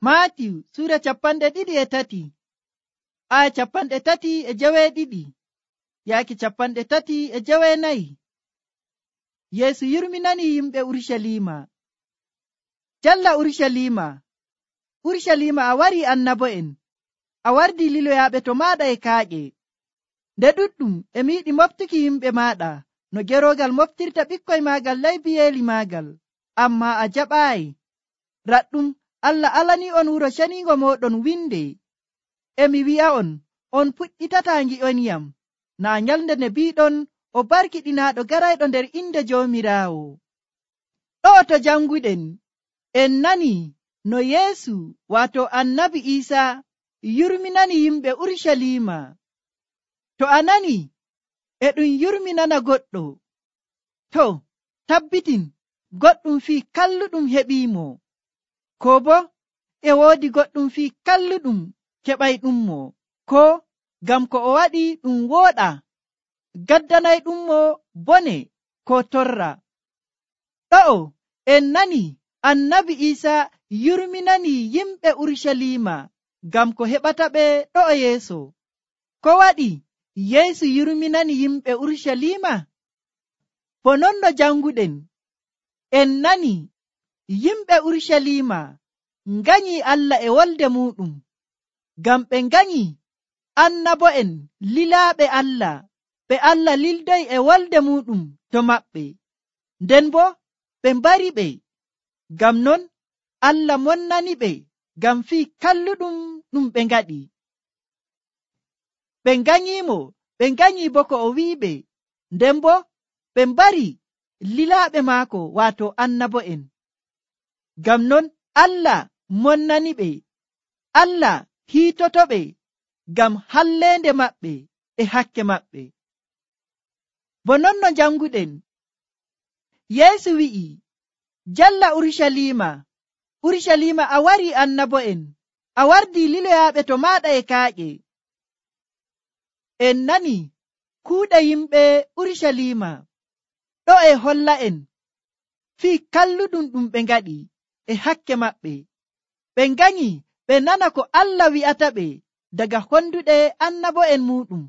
Maatiyu sura 23 aya 32 yaaki 34. Yeesu yurminani yimɓe Urusalima. Jalla Urusalima a wari annabo'en, a wardi liloyaaɓe to maaɗa e kaaƴe. Nde ɗuɗɗum e mi yiɗi moftuki yimɓe maaɗa no geroogal moftirta ɓikkoy maagal ley biyeeli maagal, amma a jaɓaayi. Raɗɗum Allah alani on wuro ceniingo mooɗon winde. E mi wi'a'on, on puɗɗitataa ngi'onyam naa nyalnde nde biiɗon o barkiɗinaaɗo garayɗo nder inde Joomiraawo. Ɗo'o to janguɗen en nani no Yeesu waato annabi Iisaa yurminani yimɓe Urusalima. To a nani e ɗum yurminana goɗɗo, to tabbitin goɗɗum fii kalluɗum heɓiimo, ko bo e woodi goɗɗum fii kalluɗum keɓayɗummo, ko ngam ko o waɗi ɗum wooɗa gaddanayɗummo bone ko torra. Ɗo'o en nani annabi Iisaa yurminani yimɓe Urusalima ngam ko heɓata ɓe ɗo'o yeeso. Ko waɗi Yeesu yurminani yimɓe Urusalima? Bo non no janguɗen en nani yimɓe Urusalima nganyi Allah e wolde muɗum, ngam ɓe nganyi annabo'en lilaaɓe Allah, ɓe Allah lildoyi e wolde muɗum to maɓɓe, nden bo ɓe mbari ɓe. Ngam non Allah monnani ɓe ngam fii kalluɗum ɗum ɓe ngaɗi. Ɓe nganyimo, ɓe nganyi bo ko o wi'iɓe, nden bo ɓe mbari lilaaɓe maako waato annabo'en. Ngam non Allah monnani ɓe, Allah hiitotoɓe ngam halleende maɓɓe e hakke maɓɓe. Bo non no janguɗen, Yeesu wi'i, jalla Urusalima a wari annabo'en, a wardi liloyaaɓe to maaɗa e kaaƴe. En nani kuuɗe yimɓe Urusalima, ɗo e holla en fii kalluɗum ɗum ɓe ngaɗi e hakke maɓɓe. Ɓe nganyi ɓe nana ko Allah wi'ata ɓe daga honduɗe annabo'en muɗum.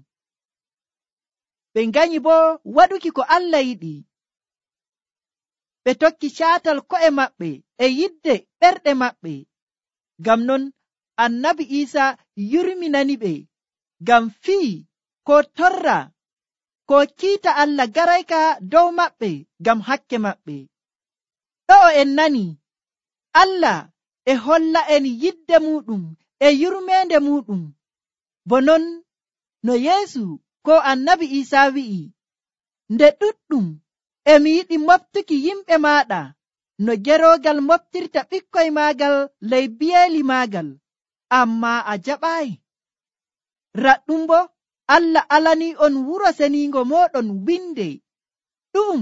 Ɓe nganyi bo waɗuki ko Allah yiɗi. Ɓe tokki caatal ko'e maɓɓe e yidde ɓerɗe maɓɓe. Ngam non annabi Iisaa yurminani ɓe ngam fii ko torra ko kiita Allah garayka dow maɓɓe ngam hakke maɓɓe. Ɗo'o en nani Allah e holla en yidde muɗum e yurmeende muɗum, bo non no Yeesu ko annabi Iisaa wi'i, nde ɗuɗɗum e mi yiɗi moftuki yimɓe maaɗa no geroogal moftirta ɓikkoy maagal ley biyeeli maagal, amma a jaɓaayi. Raɗɗum bo Allah alani on wuro seniingo mooɗon winde. Ɗum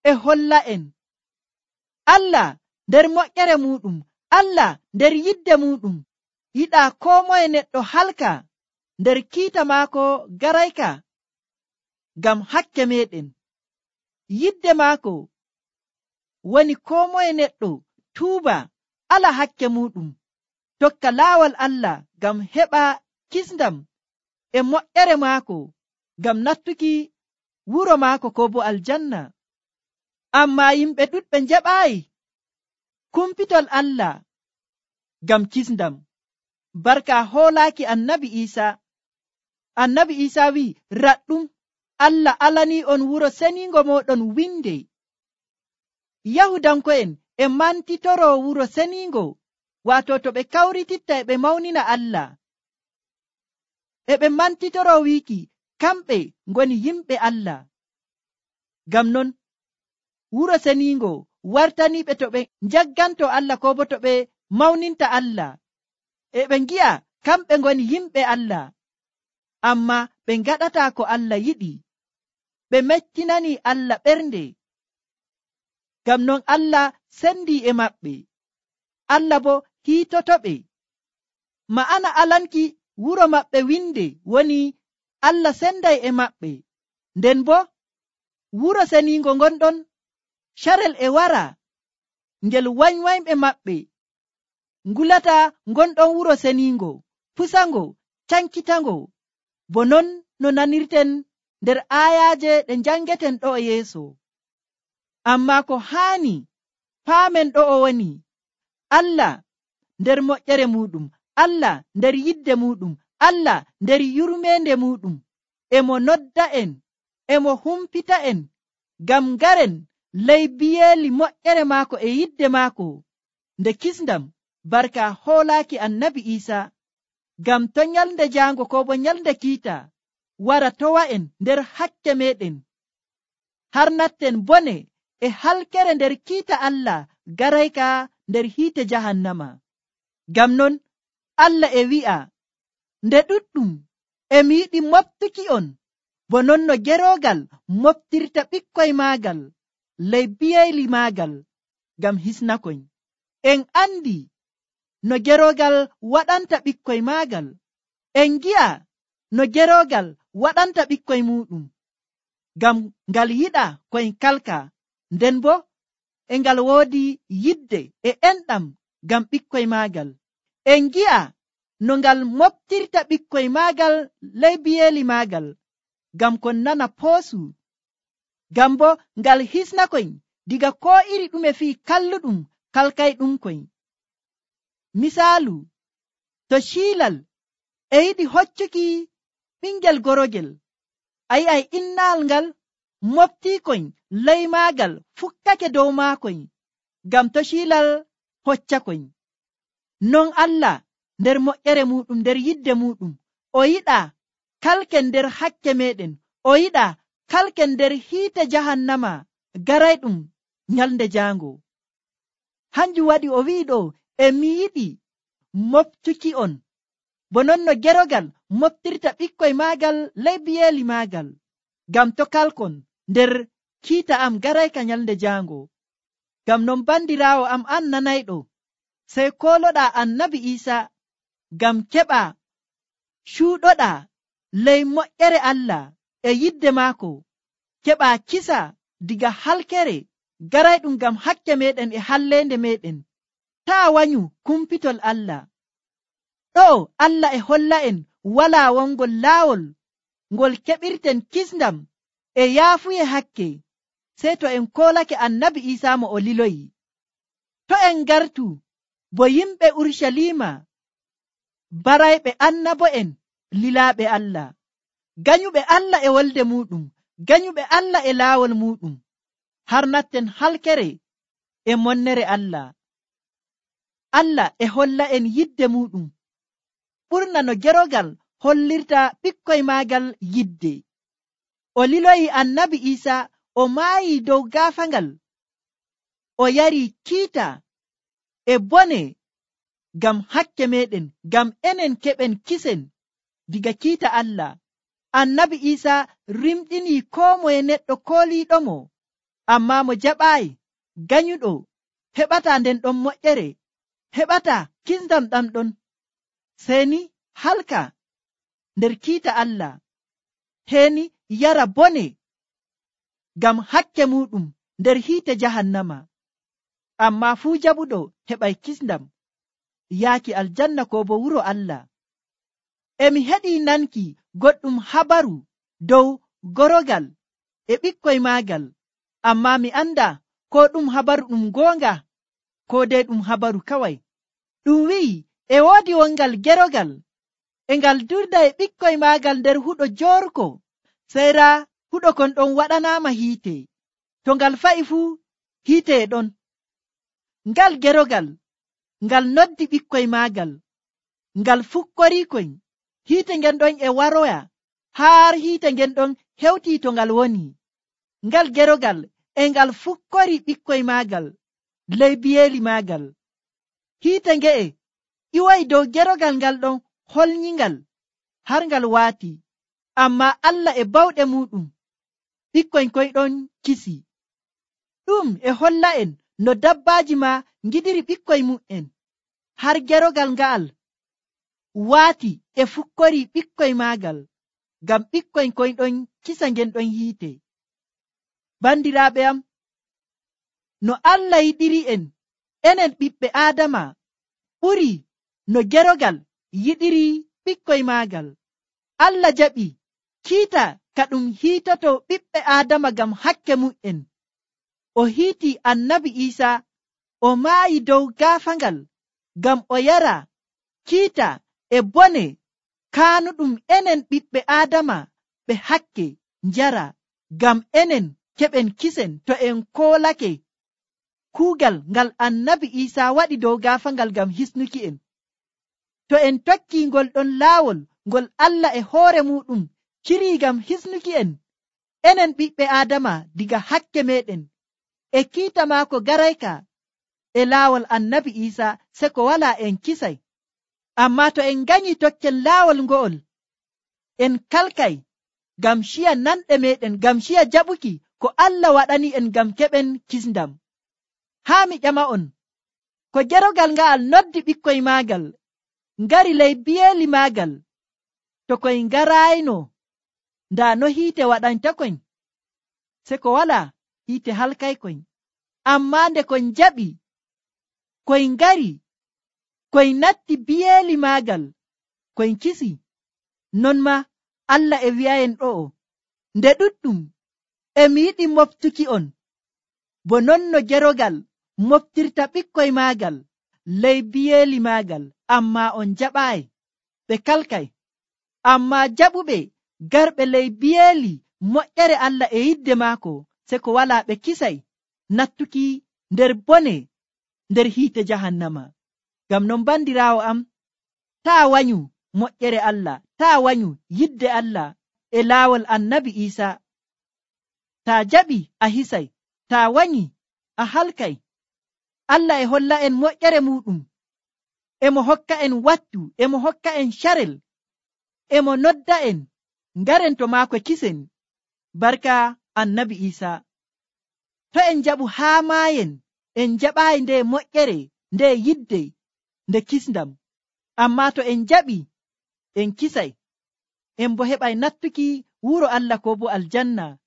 e holla en Allah nder moƴƴere muɗum, Allah nder yidde muɗum yiɗaa koo moye neɗɗo halka nder kiita maako garayka ngam hakke meɗen. Yidde maako woni koo moye neɗɗo tuuba ala hakke muɗum, tokka laawol Allah ngam heɓa kisndam e moƴƴere maako ngam nattuki wuro maako ko bo aljanna. Amma yimɓe ɗuɗɓe njaɓaayi kumpitol Allah ngam kisndam. Barka hoolaaki annabi Iisaa wi'i, raɗɗum Allah alani on wuro seniingo mooɗon winde. Yahudanko'en e mantitoro wuro seniingo, waato to ɓe kawrititta e ɓe mawnina Allah, e ɓe mantitoro wiiki kamɓe ngoni yimɓe Allah. Ngam non wuro seniingo wartaniɓe to ɓe njagganto Allah ko bo to ɓe mawninta Allah, e ɓe ngi'a kamɓe ngoni yimɓe Allah, amma ɓe ngaɗata ko Allah yiɗi. Ɓe mettinani Allah ɓernde. Ngam non Allah sendi e maɓɓe, Allah bo hiitotoɓe. Ma'ana alanki wuro maɓɓe winde woni Allah senday e maɓɓe, nden bo wuro seniingo ngonɗon carel e wara ngel wanywayɓe maɓɓe ngulata gonɗon wuro seningo, pusango, cankitango, bo non no nanirten nder ayaje ɗe jangeten ɗo e yeeso. Amma ko haani paamen ɗo o woni Allah nder moƴƴere muɗum, Allah nder yidde muɗum, Allah nder yurmende muɗum, emo nodda en, emo humpita en ngam ngaren ley biyeeli moƴƴere maako e yidde maako nde kisndam barka hoolaaki annabi Isa, ngam to nyalde jaango ko bo nyalde kiita wara towa en nder hakke meɗen, har natten bone e halkere nder kiita Allah garayka nder hiite jahannama. Ngam non Allah e wi'a, nde ɗuɗɗum emi yiɗi moftuki on bo non no gerogal moftirta ɓikkoy maagal ley biyeyli maagal ngam hisnakoy. En andi no gerogal waɗanta ɓikkoy maagal, en gi'a no gerogal waɗanta ɓikkoy muɗum, ngam ngal yiɗa koy kalka, nden bo e ngal woodi yidde e enɗam ngam ɓikkoy maagal. En gi'a no ngal moftirta ɓikkoy maagal ley biyeeli maagal ngam kon nana poosu, ngam bo ngal hisnakoy diga ko iri ɗume fii kalluɗum kalkayɗum koy. Misaalu, to ciilal e yiɗi hoccuki ɓingel gorogel, a yi'ay innal ngal moftiikoy ley maagal fukkake dow maakoy ngam to ciilal hoccakoy. Non Allah nder moƴƴere muɗum, nder yidde muɗum, o yiɗa kalken nder hakke meɗen, o yiɗa kalken nder hiite jahannama garayɗum nyalde jaango. Hanjum waɗi o wi'i ɗo, emi yiɗi moftuki on bo non no gerogal moftirta ɓikkoy maagal ley biyeeli maagal, ngam to kalkon nder kiita am garayka nyalde jaango. Ngam non bandiraawo am an nanayɗo, sey koloɗa annabi Isa ngam keɓa cuuɗoɗa ley moƴƴere Allah e yidde maako, keɓa kisa diga halkere garayɗum ngam hakke meɗen e hallende meɗen, taa wanyu kumpitol Allah. Ɗo Allah e holla en wala wongol laawol ngol keɓirten kisndam e yaafuye hakke, sey to en kolake annabi Isa mo o liloyi. To en gartu bo yimɓe Urshalima, barayɓe annabo'en lilaaɓe Allah, ganyuɓe Allah e wolde muɗum, ganyuɓe Allah e laawol muɗum, har natten halkere e monnere Allah. Allah e holla en yidde muɗum ɓurna no gerogal hollirta ɓikkoy maagal yidde. O liloyi annabi Isa, o maayi dow gaafangal, o yari kiita e bone ngam hakke meɗen, ngam enen keɓen kisen diga kiita Allah. Annabi Isa rimɗini ko moye neɗɗo kooliiɗomo, amma mo jaɓaayi, ganyuɗo heɓata nden ɗon moƴƴere, heɓata kisndam ɗam ɗon, seni halka nder kiita Allah, heni yara bone ngam hakke muɗum nder hiite jahannama. Amma fuu jaɓuɗo heɓay kisndam yaaki aljanna ko bo wuro Allah. Emi heɗi nanki goɗɗum habaru dow gorogal e ɓikkoy maagal, amma mi anda ko ɗum habaru ɗum goonga ko dai ɗum habaru kawai. Ɗum wi'i e woodi wongal gerogal e ngal durda e ɓikkoy maagal nder huɗo jorko, seyra huɗo kon ɗon waɗanaama hiite, to ngal fa'i fuu hiite e ɗon. Ngal gerogal ngal noddi ɓikkoy maagal, ngal fukkorikoy, hiite ngen ɗon e waroya har hiite ngen ɗon hewti to ngal woni. Ngal gerogal e ngal fukkori ɓikkoy maagal ley biyeeli maagal. Hiite nge'e iwoy dow gerogal ngal ɗon holnyingal har ngal waati, amma Allah e bawɗe muɗum ɓikkoy koy ɗon kisi. Ɗum e holla en no dabbaaji ma ngidiri ɓikkoy mu'en, har gerogal nga'al waati e fukkori ɓikkoy maagal, ngam ɓikkoy koy ɗon kisa ngen ɗon hiite. Bandiraaɓe am, no Allah yiɗiri en enen ɓiɓɓe Aadama, ɓuri no gerogal yiɗiri ɓikkoy maagal. Allah jaɓi kiita ka ɗum hiitoto ɓiɓɓe Aadama ngam hakke mu'en. O hiiti annabi Iisa o maayi dow gaafangal ngam o yara kiita e bone kaanuɗum enen ɓiɓɓe Aadama ɓe hakke njara, ngam enen keɓen kisen to en koolake kuugal ngal annabi Iisa waɗi dow gaafangal ngam hisnuki en. To en tokki ngol ɗon laawol ngol Allah e hoore muɗum ciri ngam hisnuki en, enen ɓiɓɓe Aadama diga hakke meɗen, e kiita maako garayka e laawol annabi Iisa se ko wala en kisay. Amma to en ganyi tokken laawol ngo'ol, en kalkay ngam ciya nanɗe meɗen, ngam ciya jaɓuki ko Allah waɗani en ngam keɓen kisndam. Haa mi ƴama'on, ko gerogal nga'al noddi ɓikkoy maagal ngari ley biyeeli maagal, to koy ngarayno ndaa no hiite waɗantakoy, se ko wala hiite halkaykoy. Ammaa nde koy jaɓi koy ngari koy natti biyeeli maagal koy kisi. Non ma Allah e wi'ayen ɗo'o, nde ɗuɗɗum emi yiɗi moftuki on bo non no gerogal moftirta ɓikkoy maagal ley biyeeli maagal, ammaa on jaɓaayi, ɓe kalkay. Ammaa jaɓuɓe garɓe ley biyeeli moƴƴere Allah e yidde maako, se ko wala ɓe kisay nattuki nder bone nder hiite jahannama. Ngam non bandiraawo am, taa wanyu moƴƴere Allah, taa wanyu yidde Allah e laawol annabi Iisa. Taa jaɓi a hisay, taa wanyi a halkay. Allah e holla en moƴƴere muɗum, emo hokka en wattu, emo hokka en carel, emo nodda en ngaren to maako kisen barka annabi Iisa. To en jaɓu haa maayen, en jaɓaayi nde moƴƴere, nde yidde, nde kisndam. Amma to en jaɓi en kisay, en bo heɓay nattuki wuro Allah ko bo aljanna.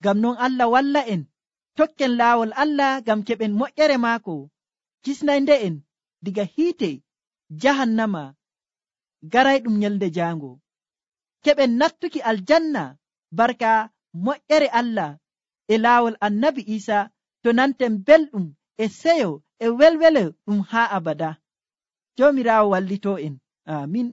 Ngam non Allah walla en tokken laawol Allah ngam keɓen moƴƴere maako kisnayde en diga hiite jahannama garayɗum nyalde jaango, keɓen nattuki aljanna barka moƴƴere Allah e laawol annabi Iisa, to nanten belɗum e seyo e welwele ɗum haa abada. Joomiraawo wallito en. Amin.